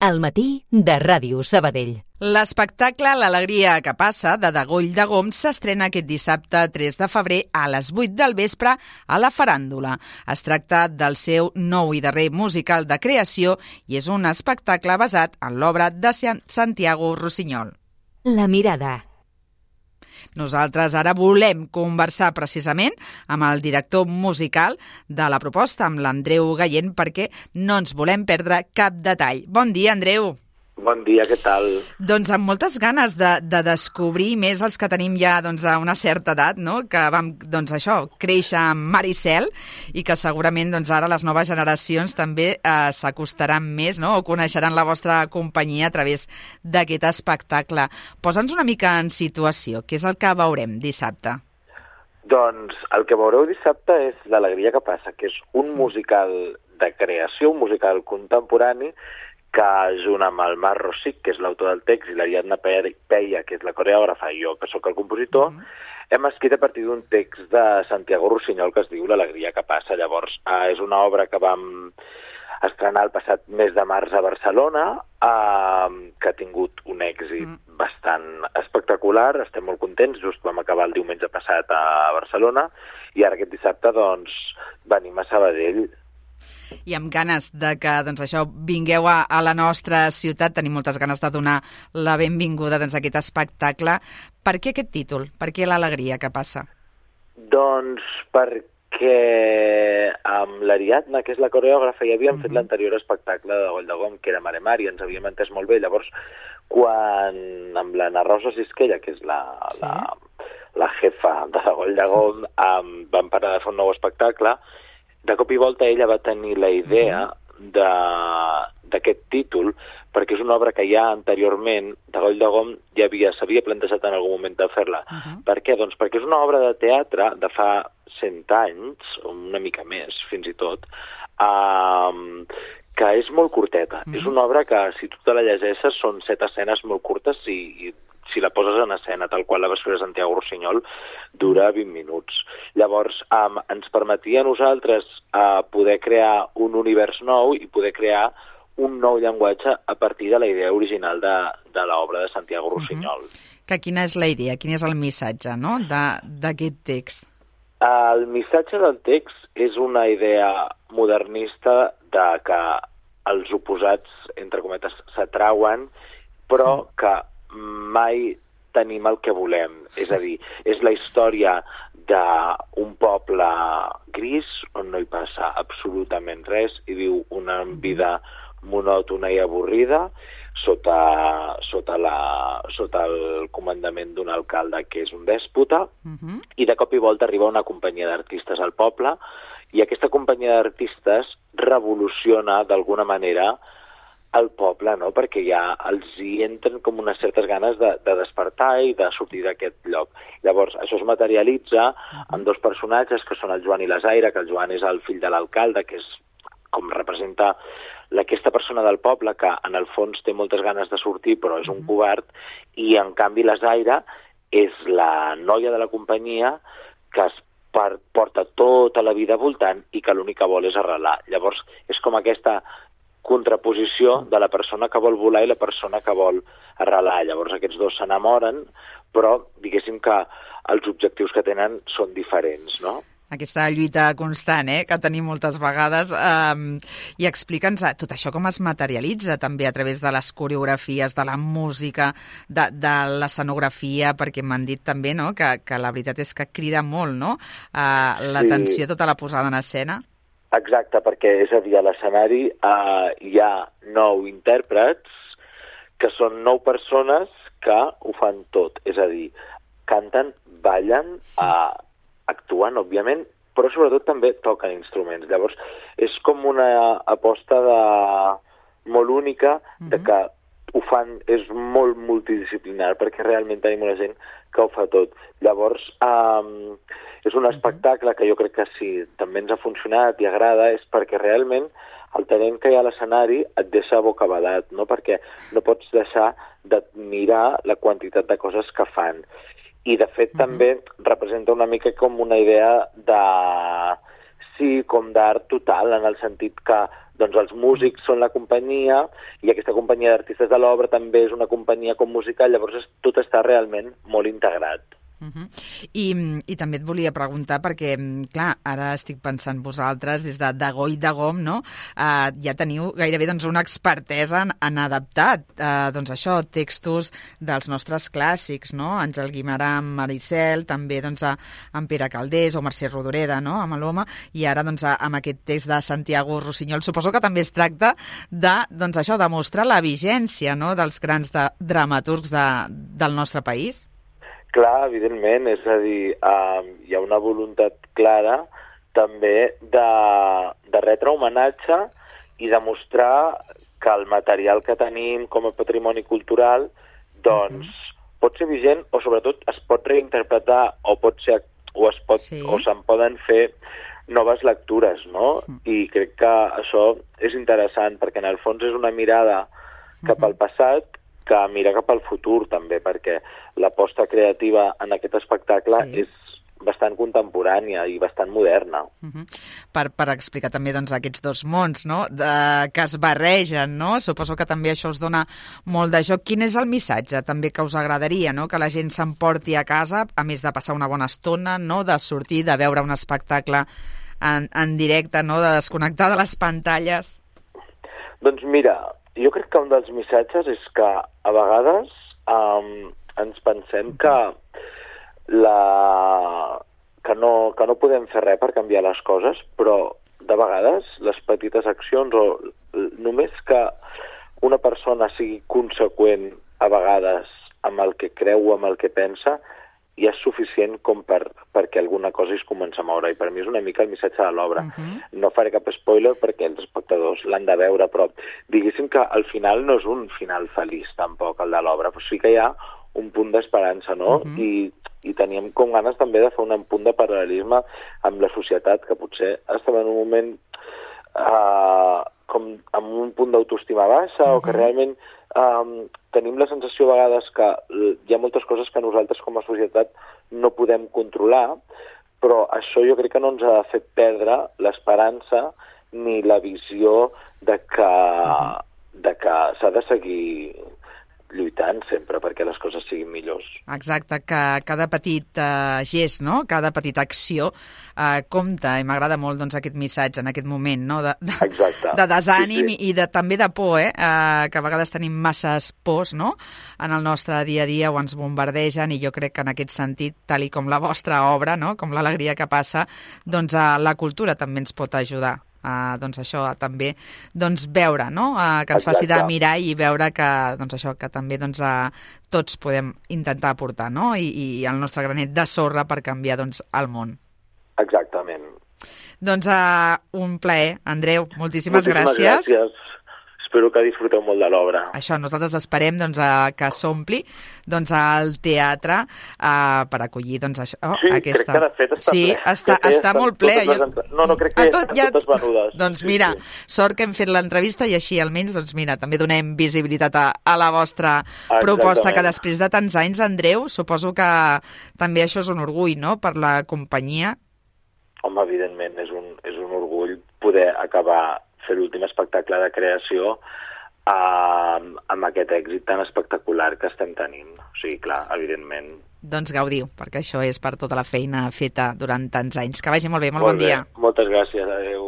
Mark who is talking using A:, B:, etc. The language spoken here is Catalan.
A: Al matí de Ràdio Sabadell.
B: L'espectacle L'alegria que passa de Degoll de Gom s'estrena aquest dissabte 3 de febrer a les 8 del vespre a la Faràndula. Es tracta del seu nou i darrer musical de creació i és un espectacle basat en l'obra de Santiago Rossinyol.
A: La mirada.
B: Nosaltres ara volem conversar precisament amb el director musical de la proposta, amb l'Andreu Gallent, perquè no ens volem perdre cap detall. Bon dia, Andreu.
C: Bon dia, què tal?
B: Doncs amb moltes ganes de descobrir més els que tenim ja a una certa edat, no? Que vam créixer amb Mar i Cel i que segurament ara les noves generacions també s'acostaran més, no? O coneixeran la vostra companyia a través d'aquest espectacle. Posa'ns una mica en situació, què és el que veurem dissabte?
C: Doncs el que veureu dissabte és L'alegria que passa, que és un musical de creació, un musical contemporani que junt amb el Marc Rosic, que és l'autor del text, i l'Ariadna Peia, que és la coreògrafa, i jo, que sóc el compositor, hem escrit a partir d'un text de Santiago Rossinyol que es diu L'alegria que passa. Llavors, és una obra que vam estrenar el passat mes de març a Barcelona, que ha tingut un èxit bastant espectacular, estem molt contents, just vam acabar el diumenge passat a Barcelona, i ara aquest dissabte, venim a Sabadell.
B: I amb ganes de que vingueu a la nostra ciutat, tenim moltes ganes de donar la benvinguda a aquest espectacle. Per què aquest títol? Per què L'alegria que passa?
C: Doncs perquè amb l'Ariadna, que és la coreògrafa, ja havíem fet l'anterior espectacle de Degoll de Gom, que era Mare Mare, i ens havíem entès molt bé. Llavors, quan amb l'Anna Rosa Sisquella, que és la jefa de Degoll de Gom, vam parar de fer un nou espectacle, de cop i volta ella va tenir la idea d'aquest títol, perquè és una obra que ja anteriorment Degoll de Gom ja s'havia plantejat en algun moment de fer-la. Per què? Doncs perquè és una obra de teatre de fa 100 anys, una mica més, fins i tot, que és molt curteta. És una obra que, si tu te la llegeixes, són 7 escenes molt curtes i si la poses en escena, tal qual la va escriure Santiago Rossinyol, dura 20 minuts. Llavors, ens permetia a nosaltres poder crear un univers nou i poder crear un nou llenguatge a partir de la idea original de l'obra de Santiago Rossinyol.
B: Que quina és la idea, quin és el missatge, no?, d'aquest text?
C: El missatge del text és una idea modernista de que els oposats, entre cometes, s'atrauen, però que mai tenim el que volem. És a dir, és la història d'un poble gris on no hi passa absolutament res i viu una vida monòtona i avorrida sota el comandament d'un alcalde que és un dèspota, i de cop i volta arriba una companyia d'artistes al poble i aquesta companyia d'artistes revoluciona d'alguna manera al poble, no? Perquè ja els hi entren com unes certes ganes de despertar i de sortir d'aquest lloc. Llavors, això es materialitza amb dos personatges que són el Joan i la Zaira, que el Joan és el fill de l'alcalde, que és com representa aquesta persona del poble que en el fons té moltes ganes de sortir però és un covard, i en canvi la Zaira és la noia de la companyia que es porta tota la vida voltant i que l'únic que vol és arrelar. Llavors, és com aquesta contraposició de la persona que vol volar i la persona que vol arrelar. Llavors aquests dos s'enamoren, però diguéssim que els objectius que tenen són diferents, no?
B: Aquesta lluita constant, que tenim moltes vegades, i explica'ns tot això com es materialitza també a través de les coreografies, de la música, de l'escenografia, perquè m'han dit també, no?, que la veritat és que crida molt, no?, l'atenció, tota la posada en escena.
C: Exacte, perquè és a dir, a l'escenari hi ha 9 intèrprets que són 9 persones que ho fan tot, és a dir, canten, ballen, actuen, òbviament, però sobretot també toquen instruments. Llavors, és com una aposta molt única de que ho fan, és molt multidisciplinar, perquè realment tenim una gent que ho fa tot. Llavors, és un espectacle que jo crec que si també ens ha funcionat i agrada és perquè realment el talent que hi ha a l'escenari et deixa bocabadat, no? Perquè no pots deixar d'admirar la quantitat de coses que fan. I, de fet, també representa una mica com una idea com d'art total, en el sentit que doncs els músics són la companyia i aquesta companyia d'artistes de l'obra també és una companyia com musical, llavors tot està realment molt integrat.
B: I també et volia preguntar perquè, clar, ara estic pensant vosaltres des de Go i de Gom, no? Ja teniu gairebé doncs, una expertesa en adaptar doncs això, textos dels nostres clàssics, no? Àngel Guimerà amb Maricel, també doncs, amb Pere Calders o Mercè Rodoreda, no? Amb l'Home, i ara doncs, amb aquest text de Santiago Rossinyol. Suposo que també es tracta de, doncs, això, de mostrar la vigència, no? Dels grans dramaturgs del nostre país.
C: Clar, evidentment, és a dir, hi ha una voluntat clara també de retre homenatge i demostrar que el material que tenim com a patrimoni cultural doncs pot ser vigent o sobretot es pot reinterpretar o se'n poden fer noves lectures, no? I crec que això és interessant perquè en el fons és una mirada cap al passat que mira cap al futur també, perquè l'aposta creativa en aquest espectacle és bastant contemporània i bastant moderna.
B: Per explicar també doncs, aquests dos mons, no? Que es barregen, no? Suposo que també això us dona molt de joc. Quin és el missatge també que us agradaria, no? Que la gent s'emporti a casa, a més de passar una bona estona, no? De sortir, de veure un espectacle en directe, no? De desconnectar de les pantalles? Doncs
C: mira, jo crec que un dels missatges és que a vegades ens pensem que no podem fer res per canviar les coses, però de vegades les petites accions o només que una persona sigui conseqüent a vegades amb el que creu o amb el que pensa ja és suficient com perquè alguna cosa es comença a moure. I per mi és una mica el missatge de l'obra. No faré cap spoiler perquè els espectadors l'han de veure, però diguéssim que al final no és un final feliç tampoc, el de l'obra, però sí que hi ha un punt d'esperança, no? I teníem com ganes també de fer un punt de paral·lelisme amb la societat, que potser estem en un moment com amb un punt d'autoestima baixa o que realment tenim la sensació a vegades que hi ha moltes coses que nosaltres com a societat no podem controlar, però això jo crec que no ens ha fet perdre l'esperança ni la visió de que s'ha de seguir lluitant sempre perquè les coses siguin millors.
B: Exacte, que cada petit gest, no? Cada petita acció compta, i m'agrada molt doncs, aquest missatge en aquest moment, no? De desànim i també de por, que a vegades tenim masses pors, no? En el nostre dia a dia o ens bombardegen, i jo crec que en aquest sentit, tal i com la vostra obra, no? Com l'alegria que passa, doncs la cultura també ens pot ajudar. Doncs això també veure, no? Que ens faci de mirar i veure que, doncs això, que també tots podem intentar aportar, no? I el nostre granet de sorra per canviar el món.
C: Exactament.
B: Doncs un plaer, Andreu, moltíssimes gràcies.
C: Gràcies. Espero que disfruteu molt de l'obra.
B: Això, nosaltres esperem que s'ompli el teatre per acollir aquesta...
C: crec que de fet està ple.
B: Està molt ple.
C: No, crec que estan totes venudes.
B: Doncs mira, sort que hem fet l'entrevista i així almenys, també donem visibilitat a la vostra proposta, que després de tants anys, Andreu, suposo que també això és un orgull, no?, per la companyia.
C: Home, evidentment, és un orgull poder acabar fer l'últim espectacle de creació amb aquest èxit tan espectacular que estem tenint. O sigui, clar, evidentment.
B: Doncs gaudiu, perquè això és per tota la feina feta durant tants anys. Que vagi molt bé, molt bon dia.
C: Moltes gràcies, adéu.